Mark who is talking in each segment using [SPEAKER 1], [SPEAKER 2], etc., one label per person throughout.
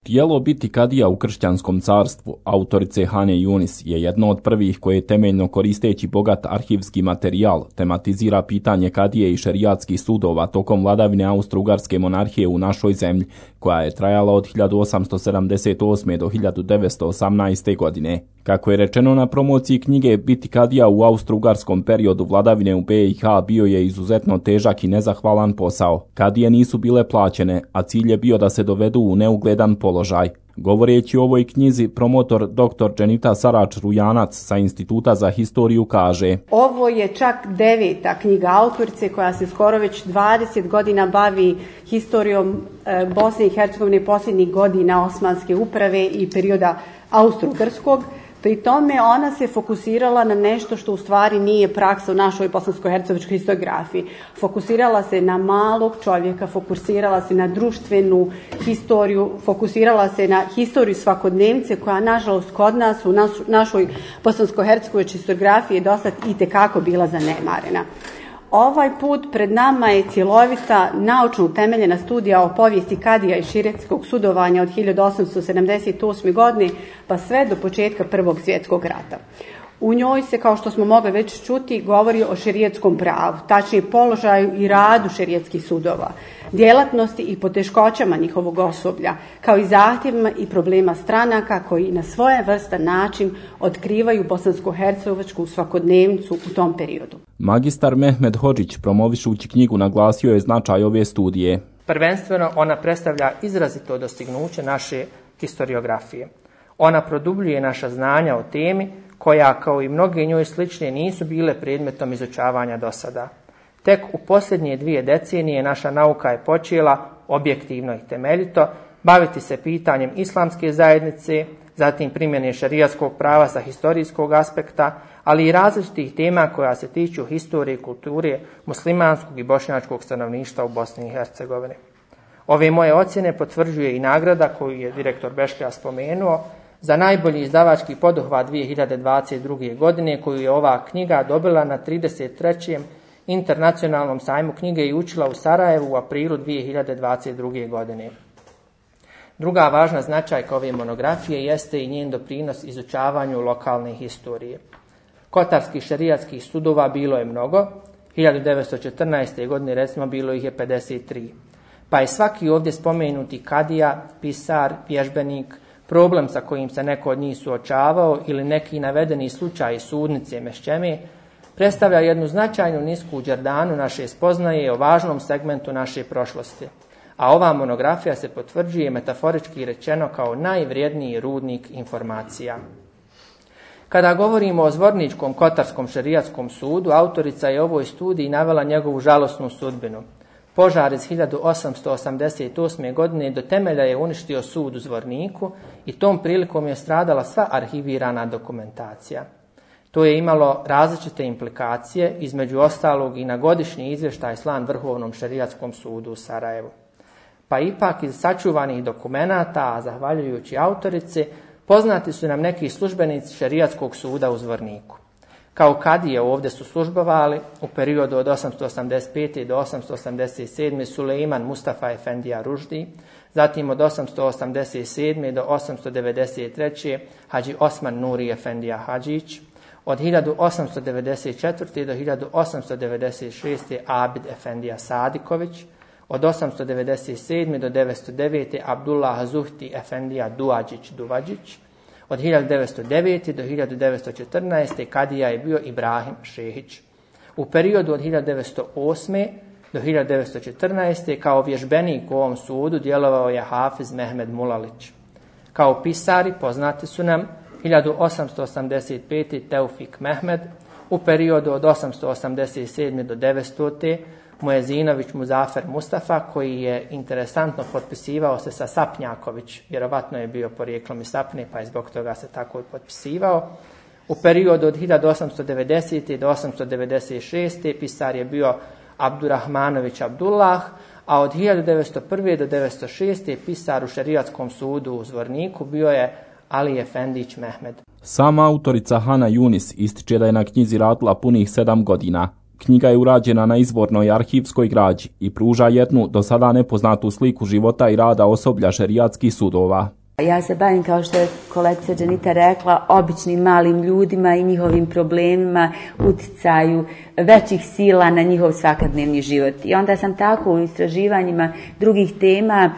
[SPEAKER 1] Tijelo biti kadija u kršćanskom carstvu, autorice Hane Yunis, je jedno od prvih koje temeljno koristeći bogat arhivski materijal tematizira pitanje kadije i šerijatskih sudova tokom vladavine Austro-Ugarske monarhije u našoj zemlji, koja je trajala od 1878. do 1918. godine. Kako je rečeno na promociji knjige, biti kadija u Austro-Ugarskom periodu vladavine u BiH bio je izuzetno težak i nezahvalan posao. Kadije nisu bile plaćene, a cilj je bio da se dovedu u neugledan položaj. Govoreći o ovoj knjizi, promotor dr. Dženita Sarač-Rujanac sa Instituta za historiju kaže:
[SPEAKER 2] Ovo je čak 9. knjiga autorice koja se skoro već 20 godina bavi historijom Bosne i Hercegovine posljednjih godina Osmanske uprave i perioda Austro-Ugarskog. Pri tome ona se fokusirala na nešto što u stvari nije praksa u našoj bosansko-hercegovačkoj historiografiji. Fokusirala se na malog čovjeka, fokusirala se na društvenu historiju, fokusirala se na historiju svakodnevnice koja nažalost kod nas u našoj bosansko-hercegovačkoj historiografiji je dosad itekako bila zanemarena. Ovaj put pred nama je cjelovita, naučno utemeljena studija o povijesti kadija i šerijatskog sudovanja od 1878. godine pa sve do početka Prvog svjetskog rata. U njoj se, kao što smo mogli već čuti, govori o šerijatskom pravu, tačnije položaju i radu šerijatskih sudova, djelatnosti i poteškoćama njihovog osoblja, kao i zahtjevima i problema stranaka koji na svojevrstan način otkrivaju bosansko-hercegovačku svakodnevnicu u tom periodu.
[SPEAKER 1] Magistar Mehmed Hodžić, promovišući knjigu, naglasio je značaj ove studije.
[SPEAKER 3] Prvenstveno ona predstavlja izrazito dostignuće naše historiografije. Ona produbljuje naša znanja o temi koja, kao i mnoge njoj slične, nisu bile predmetom izučavanja do sada. Tek u posljednje 2 decenije naša nauka je počela, objektivno i temeljito, baviti se pitanjem islamske zajednice, zatim primjene šerijatskog prava sa historijskog aspekta, ali i različitih tema koja se tiču historije i kulture muslimanskog i bošnjačkog stanovništva u Bosni i Hercegovini. Ove moje ocjene potvrđuje i nagrada koju je direktor Bešlija spomenuo za najbolji izdavački poduhvat 2022. godine, koju je ova knjiga dobila na 33. internacionalnom sajmu knjige i učila u Sarajevu u aprilu 2022. godine. Druga važna značajka ove monografije jeste i njen doprinos izučavanju lokalne historije. Kotarskih šerijatskih sudova bilo je mnogo, 1914. godine recimo bilo ih je 53. Pa je svaki ovdje spomenuti kadija, pisar, vježbenik, problem sa kojim se neko od njih suočavao ili neki navedeni slučaj sudnice mešćeme, predstavlja jednu značajnu nisku đerdanu naše spoznaje o važnom segmentu naše prošlosti. A ova monografija se potvrđuje metaforički rečeno kao najvrijedniji rudnik informacija. Kada govorimo o Zvorničkom kotarskom šerijatskom sudu, autorica je ovoj studiji navela njegovu žalosnu sudbinu. Požar iz 1888. godine do temelja je uništio sud u Zvorniku i tom prilikom je stradala sva arhivirana dokumentacija. To je imalo različite implikacije, između ostalog i na godišnji izvještaj slan Vrhovnom šerijatskom sudu u Sarajevu. Pa ipak iz sačuvanih dokumenata, a zahvaljujući autorici, poznati su nam neki službenici šerijatskog suda u Zvorniku. Kao kadije ovdje su službovali u periodu od 885. do 887. Sulejman Mustafa Efendija Ruždi, zatim od 887. do 893. Hadži Osman Nuri Efendija Hadžić, od 1894. do 1896. Abid Efendija Sadiković, od 897. do 909. Abdullah Zuhti Efendija Duadžić Duvadžić, od 1909. do 1914. kadija je bio Ibrahim Šehić. U periodu od 1908. do 1914. kao vježbenik u ovom sudu djelovao je Hafiz Mehmed Mulalić. Kao pisari poznati su nam 1885. Teufik Mehmed, u periodu od 887. do 900. Muezinović Muzafer Mustafa, koji je interesantno potpisivao se sa Sapnjaković, vjerovatno je bio porijeklom iz Sapne, pa je zbog toga se tako potpisivao. U periodu od 1890. do 896. pisar je bio Abdurrahmanović Abdullah, a od 1901. do 1906. pisar u šerijatskom sudu u Zvorniku bio je Ali Efendić Mehmed.
[SPEAKER 1] Sama autorica Hana Yunis ističe da je na knjizi radila punih 7 godina. Knjiga je urađena na izvornoj arhivskoj građi i pruža jednu do sada nepoznatu sliku života i rada osoblja šerijatskih sudova.
[SPEAKER 4] Ja se bavim, kao što je kolegica Dženita rekla, običnim malim ljudima i njihovim problemima, uticaju većih sila na njihov svakodnevni život. I onda sam tako u istraživanjima drugih tema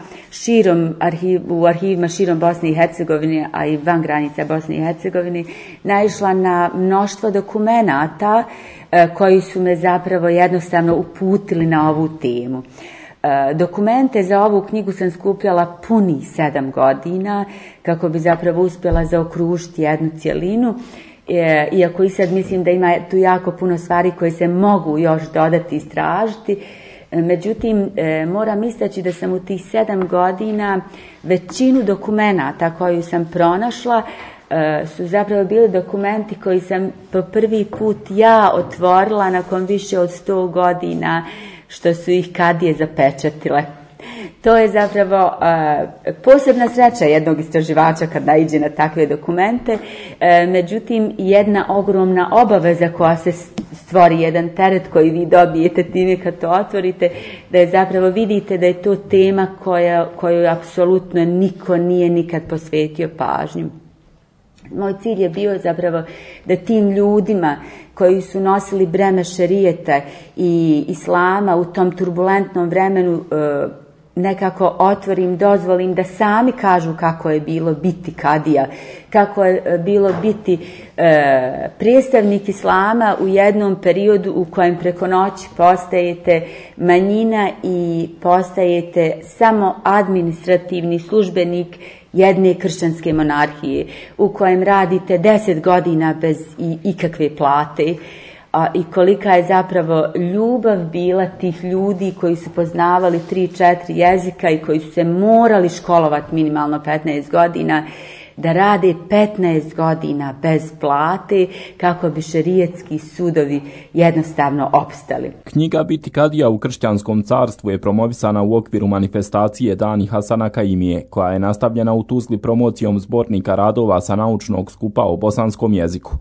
[SPEAKER 4] u arhivima širom Bosne i Hercegovine, a i van granica Bosne i Hercegovine, naišla na mnoštvo dokumenata koji su me zapravo jednostavno uputili na ovu temu. Dokumente za ovu knjigu sam skupljala punih 7 godina kako bi zapravo uspjela zaokružiti jednu cjelinu, iako i sad mislim da ima tu jako puno stvari koje se mogu još dodati i istražiti. Međutim, moram istaći da sam u tih 7 godina većinu dokumenata koju sam pronašla su zapravo bili dokumenti koji sam po prvi put ja otvorila nakon više od 100 godina što su ih kadije zapečatile. To je zapravo posebna sreća jednog istraživača kad naiđe na takve dokumente, međutim jedna ogromna obaveza koja se stvori, jedan teret koji vi dobijete time kad to otvorite, da je zapravo vidite da je to tema koju apsolutno niko nije nikad posvetio pažnju. Moj cilj je bio zapravo da tim ljudima koji su nosili breme šerijeta i islama u tom turbulentnom vremenu nekako otvorim, dozvolim da sami kažu kako je bilo biti kadija, kako je bilo biti predstavnik islama u jednom periodu u kojem preko noći postajete manjina i postajete samo administrativni službenik jedne kršćanske monarhije u kojem radite 10 godina bez ikakve plate. I kolika je zapravo ljubav bila tih ljudi koji su poznavali 3-4 jezika i koji su se morali školovati minimalno 15 godina, da rade 15 godina bez plate kako bi šerijetski sudovi jednostavno opstali.
[SPEAKER 1] Knjiga Biti kadija u kršćanskom carstvu je promovisana u okviru manifestacije Dani Hasana Kaimije, koja je nastavljena u Tuzli promocijom zbornika radova sa naučnog skupa o bosanskom jeziku.